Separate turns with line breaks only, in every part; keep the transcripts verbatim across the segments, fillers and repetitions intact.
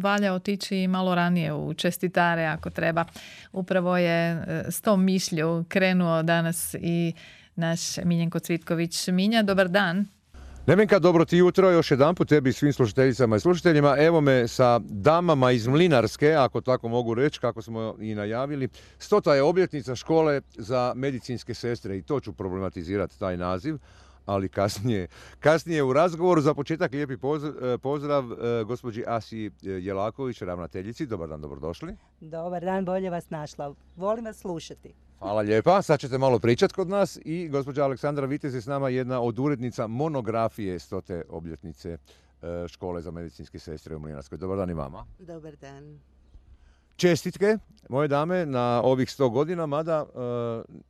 valja otići malo ranije u čestitare ako treba. Upravo je e, s tom mišlju krenuo danas i naš Miljenko Cvitković. Minja, dobar dan.
Nevenka, dobro ti jutro, još jedanput tebi i svim slušateljicama i slušateljima. Evo me sa damama iz Mlinarske, ako tako mogu reći, kako smo i najavili. Stota je obljetnica škole za medicinske sestre i to ću problematizirati, taj naziv, ali kasnije. Kasnije u razgovoru. Za početak lijepi pozdrav gospođi Asi Jelaković, ravnateljici. Dobar dan, dobrodošli.
Dobar dan, bolje vas našla. Volim vas slušati.
Hvala lijepa. Sad ćete malo pričati kod nas i gospođa Aleksandra Vitez je s nama, jedna od urednica monografije stote obljetnice škole za medicinske sestre u Mlinarskoj. Dobar dan i vama.
Dobar dan.
Čestitke, moje dame, na ovih sto godina, mada e,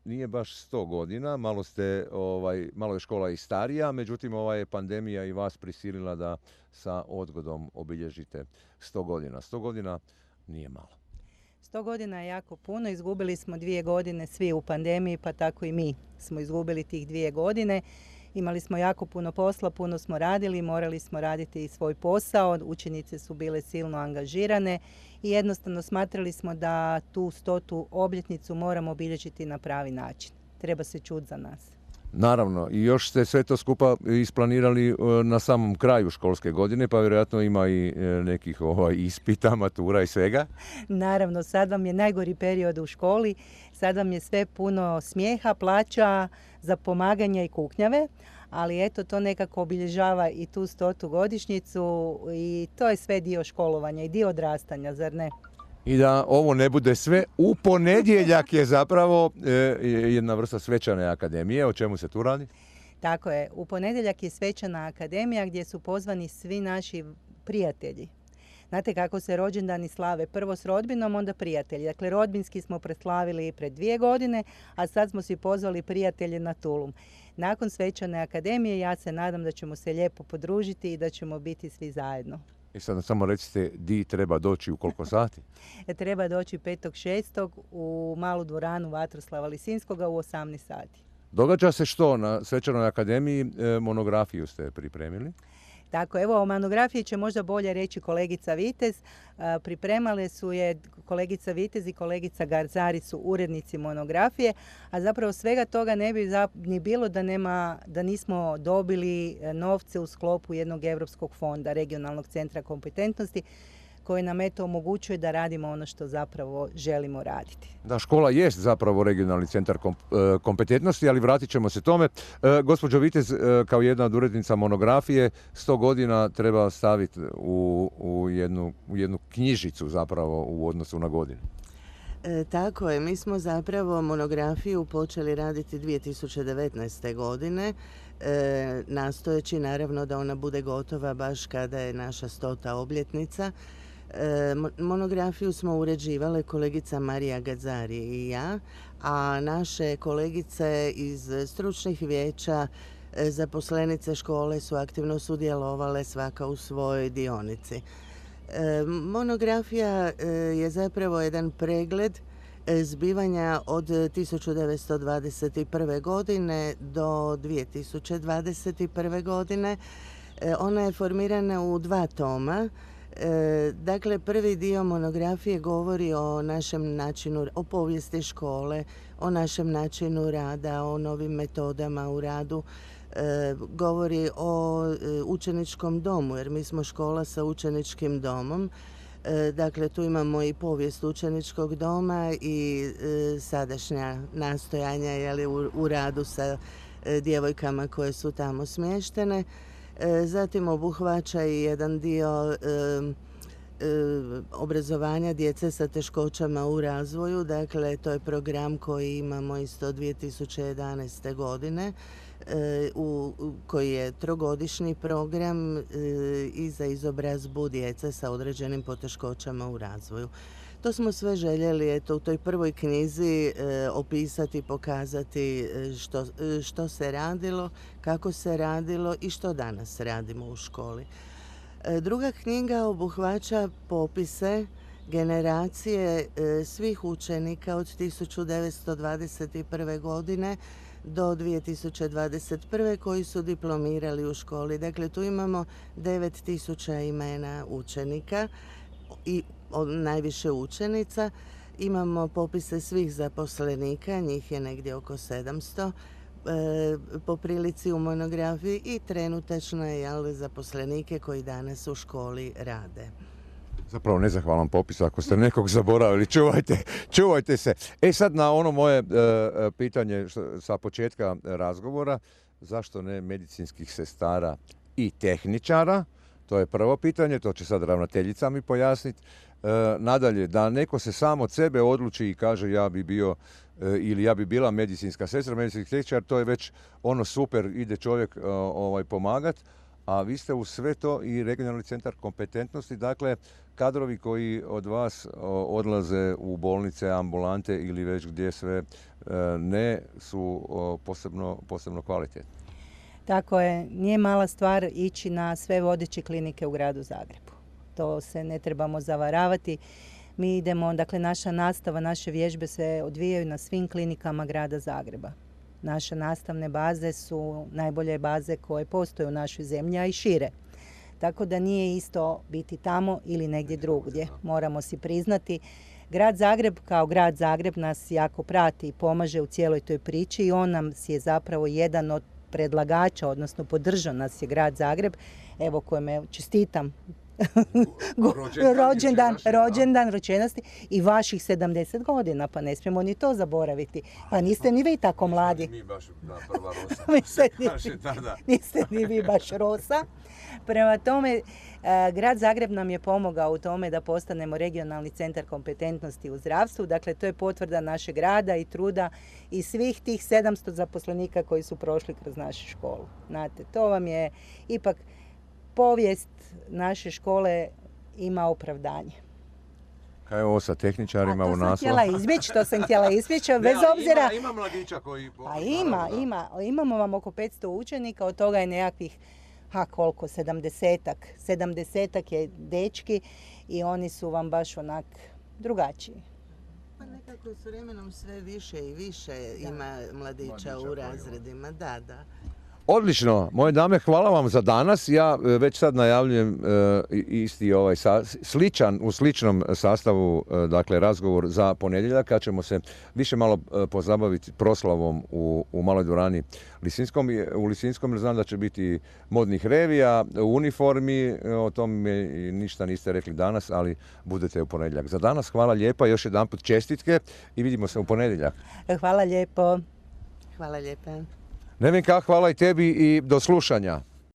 nije baš sto godina, malo, ste, ovaj, malo je škola i starija, međutim ova je pandemija i vas prisilila da sa odgodom obilježite sto godina. sto godina nije malo.
sto godina je jako puno, izgubili smo dvije godine svi u pandemiji, pa tako i mi smo izgubili tih dvije godine. Imali smo jako puno posla, puno smo radili, morali smo raditi i svoj posao, učenice su bile silno angažirane i jednostavno smatrali smo da tu stotu obljetnicu moramo obilježiti na pravi način. Treba se čuti za nas.
Naravno, i još ste sve to skupa isplanirali na samom kraju školske godine, pa vjerojatno ima i nekih ovaj, ispita, matura i svega.
Naravno, sad vam je najgori period u školi, sad vam je sve puno smijeha, plaća, za pomaganja i kuknjave, ali eto, to nekako obilježava i tu stotu godišnjicu i to je sve dio školovanja i dio odrastanja, zar ne?
I da ovo ne bude sve, u ponedjeljak je zapravo e, jedna vrsta svečane akademije. O čemu se tu radi?
Tako je. U ponedjeljak je svečana akademija gdje su pozvani svi naši prijatelji. Znate kako se rođendani slave? Prvo s rodbinom, onda prijatelji. Dakle, rodbinski smo preslavili pred dvije godine, a sad smo si pozvali prijatelje na tulum. Nakon svečane akademije ja se nadam da ćemo se lijepo podružiti i da ćemo biti svi zajedno.
I sad samo recite di treba doći, u koliko sati?
Treba doći petog šestog u malu dvoranu Vatroslava Lisinskoga u osamnaest sati.
Događa se što na svečanoj akademiji? E, monografiju ste pripremili?
Tako, evo o monografiji će možda bolje reći kolegica Vitez. Pripremale su je kolegica Vitez i kolegica Garzari su urednici monografije, a zapravo svega toga ne bi ni bilo da, nema, da nismo dobili novce u sklopu jednog europskog fonda, regionalnog centra kompetentnosti, koji nam eto omogućuje da radimo ono što zapravo želimo raditi.
Da, škola jest zapravo regionalni centar kompetentnosti, ali vratit ćemo se tome. E, gospođo Vitez, e, kao jedna od urednica monografije, sto godina treba staviti u, u, jednu, u jednu knjižicu zapravo u odnosu na godinu.
E, tako je, mi smo zapravo monografiju počeli raditi dvije tisuće devetnaeste. godine, e, nastojeći naravno da ona bude gotova baš kada je naša stota obljetnica. E, monografiju smo uređivale kolegica Marija Gazzari i ja, a naše kolegice iz stručnih vijeća, e, zaposlenice škole su aktivno sudjelovale svaka u svojoj dionici. E, monografija e, je zapravo jedan pregled e, zbivanja od tisuću devetsto dvadeset prve. godine do dvije tisuće dvadeset prve. godine. E, ona je formirana u dva toma. E, dakle, prvi dio monografije govori o našem načinu, o povijesti škole, o našem načinu rada, o novim metodama u radu. E, govori o e, učeničkom domu, jer mi smo škola sa učeničkim domom. E, dakle, tu imamo i povijest učeničkog doma i e, sadašnja nastojanja jeli, u, u radu sa e, djevojkama koje su tamo smještene. E, zatim obuhvaća i jedan dio e, e, obrazovanja djece sa teškoćama u razvoju. Dakle, to je program koji imamo isto dvije tisuće jedanaeste. godine. U, koji je trogodišnji program e, i za izobrazbu djece sa određenim poteškoćama u razvoju. To smo sve željeli eto, u toj prvoj knjizi e, opisati, pokazati što, što se radilo, kako se radilo i što danas radimo u školi. E, druga knjiga obuhvaća popise generacije e, svih učenika od tisuću devetsto dvadeset prve. godine do dvije tisuće dvadeset prve. koji su diplomirali u školi. Dakle, tu imamo devet tisuća imena učenika i najviše učenica. Imamo popise svih zaposlenika, njih je negdje oko sedamsto po prilici u monografiji i trenutačno je jel, zaposlenike koji danas u školi rade.
Zapravo nezahvalan popis, ako ste nekog zaboravili, čuvajte, čuvajte se. E sad na ono moje e, pitanje što, sa početka razgovora, zašto ne medicinskih sestara i tehničara? To je prvo pitanje, to će sad ravnateljica mi pojasniti. E, nadalje, da neko se sam od sebe odluči i kaže ja bi bio e, ili ja bi bila medicinska sestra, medicinski tehničar, to je već ono super, ide čovjek e, ovaj, pomagat. A vi ste u sve to i regionalni centar kompetentnosti, dakle kadrovi koji od vas odlaze u bolnice, ambulante ili već gdje sve ne su posebno, posebno kvalitetni.
Tako je, nije mala stvar ići na sve vodeće klinike u gradu Zagrebu. To se ne trebamo zavaravati. Mi idemo, dakle naša nastava, naše vježbe se odvijaju na svim klinikama grada Zagreba. Naše nastavne baze su najbolje baze koje postoje u našoj zemlji, a i šire. Tako da nije isto biti tamo ili negdje drugdje. Moramo si priznati. Grad Zagreb kao grad Zagreb nas jako prati i pomaže u cijeloj toj priči i on nam je zapravo jedan od predlagača, odnosno podržao nas je grad Zagreb, evo kojeme čestitam. rođendan, rođendan, rođendan ročenosti i vaših sedamdeset godina, pa ne smijemo ni to zaboraviti. Pa niste ni vi tako mladi.
Mi baš, da, prva rosa.
niste, ni, niste ni vi baš rosa. Prema tome, grad Zagreb nam je pomogao u tome da postanemo regionalni centar kompetentnosti u zdravstvu. Dakle, to je potvrda našeg rada i truda i svih tih sedamsto zaposlenika koji su prošli kroz našu školu. Znate, to vam je ipak povijest naše škole ima opravdanje.
Kaj je ovo sa tehničarima u naslovu?
To sam htjela izbjeći, to sam htjela izbjeći, bez obzira...
Ima, ima mladića koji...
Pa ima, ima. Imamo vam oko petsto učenika, od toga je nekakvih, ha koliko, sedamdesetak. Sedamdesetak je dečki i oni su vam baš onak drugačiji.
Pa nekako s vremenom sve više i više da. Ima mladića, mladića u razredima, da, da.
Odlično, moje dame, hvala vam za danas. Ja već sad najavljujem e, isti ovaj sa, sličan, u sličnom sastavu, e, dakle, razgovor za ponedjeljak, kad ćemo se više malo e, pozabaviti proslavom u, u maloj dvorani Lisinskom. U Lisinskom jer znam da će biti modnih revija, u uniformi, o tome ništa niste rekli danas, ali budete u ponedjeljak. Za danas hvala lijepa, još jedanput čestitke i vidimo se u ponedjeljak.
Hvala lijepo.
Hvala lijepa.
Nevenka, hvala i tebi i do slušanja.